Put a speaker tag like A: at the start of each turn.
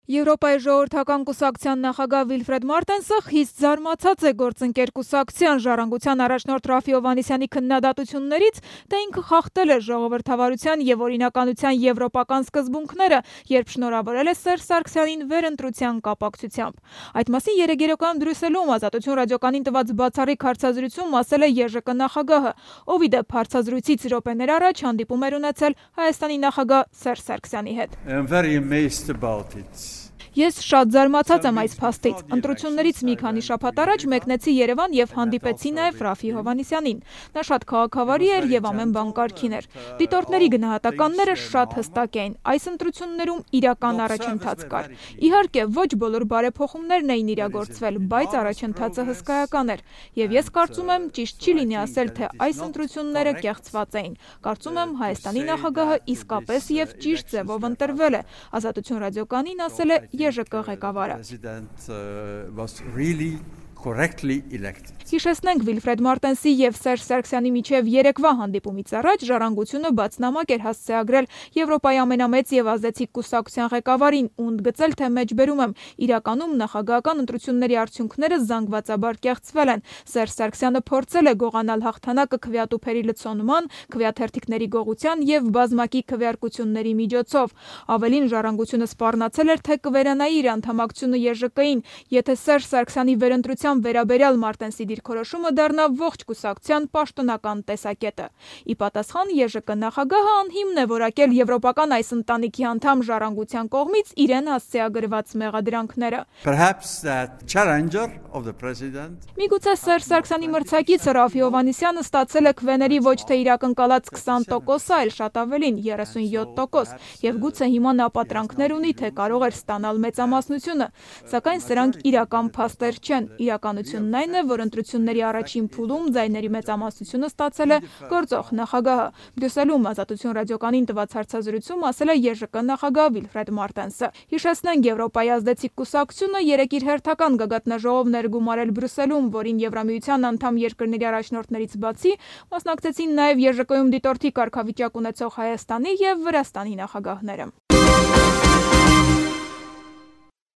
A: Եվրոպայի ժողովրդական կուսակցության նախագահ Վիլֆրեդ Մարտենսը խիստ զարմացած է գործընկեր կուսակցության ժառանգության առաջնորդ Ռաֆի Հովհաննիսյանի քննադատություններից, թե ինքը խախտել է ժողովրդավարության և օրինականության եվրոպական սկզբունքները, երբ շնորհավորել է Սերժ Սարգսյանին վերընտրության կապակցությամբ։ Այդ մասին երեկ Բրյուսելում Ազատություն ռադիոկայանին տված բացառիկ հարցազրույցում ասել է ԵԺԿ նախագահը, ով ի դեպ հարցազրույցից րոպեներ առաջ հանդիպում էր ունեցել Հայաստանի նախագահ Սերժ Սարգսյանի հետ։ Ես շատ զարմացած եմ այս փաստից։ Ընտրություններից մի քանի շաբաթ առաջ մեկնեցի Երևան և հանդիպեցի նաև Ռաֆի Հովհաննիսյանին։ Նա շատ քաղաքավարի էր և ամեն բան կարգին էր։ Դիտորդների գնահատականները շատ հստակ էին։ Այս ընտրություններում իրական առաջընթաց կար։ Իհարկե, ոչ բոլոր բարեփոխումներն էին իրագործվել, բայց առաջընթացը հսկայական էր։ Եվ ես կարծում եմ, ճիշտ չի լինի ասել, թե այս ընտրությունները կեղծված էին։ Կարծում եմ, Հայաստանի նախագահը իսկապես և ճիշտ ձևով ընտրվել է։ Ազատություն ռադիոկայանին ասել է ԵԺԿ ղեկավարը։ Հիշեցնենք, Վիլֆրեդ Մարտենսի և Սերժ Սարգսյանի միջև երեկվա հանդիպումից առաջ Ժառանգությունը բաց նամակ էր հասցեագրել Եվրոպայի ամենամեծ և ազդեցիկ կուսակցության ղեկավարին ու ընդգծել, թե մեջբերում եմ, իրականում նախագահական ընտրությունների արդյունքները զանգվածաբար կեղծվել են։ Սերժ Սարգսյանը փորձել է գողանալ հաղթանակը քվեատուփերի լցոնման, քվեաթերթիկների գողության և բազմակի քվեարկությունների միջոցով։ Ավելին, Ժառանգությունը սպառնացել էր, թե կվերանայի իր անդամակցությունը ԵԺԿ-ին, եթե Սերժ Սարգսյանի վերընտրության վերաբերյալ Մարտենսի դիրքորոշումը դառնա ողջ կուսակցության պաշտոնական տեսակետը։ Ի պատասխան, ԵԺԿ նախագահը անհիմն է որակել եվրոպական այս ընտանիքի անդամ Ժառանգության կողմից իրեն հասցեագրված մեղադրանքները։ Միգուցե Սերժ Սարգսյանի մրցակիցը Ռաֆի Հովհաննիսյանը ստացել է քվեների ոչ թե իր ակնկալած 20%, այլ շատ ավելին՝ 37%, և գուցե հիմա նա պատրանքներ ունի, թե կարող էր ստանալ մեծամասնությունը, սակայն սրանք իրական փաստեր չեն։ Իրականությունն այն է, որ ընտրությունների առաջին փուլում ձայների մեծամասնությունը ստացել է գործող նախագահը։ Բրյուսելում Ազատություն ռադիոկայանին տված հարցազրույցում ասել է ԵԺԿ նախագահ Վիլֆրեդ Մարտենսը։ Հիշեցնենք, Եվրոպայի ազդեցիկ կուսակցությունը երեկ իր հերթական գագաթնաժողովն էր գումարել Բրյուսելում, որին Եվրամիության անդամ երկրների առաջնորդներից բացի մասնակցեցին նաև ԵԺԿ-ում դիտորդի կարգավիճակ ունեցող Հայաստանի և Վրաստանի նախագահները։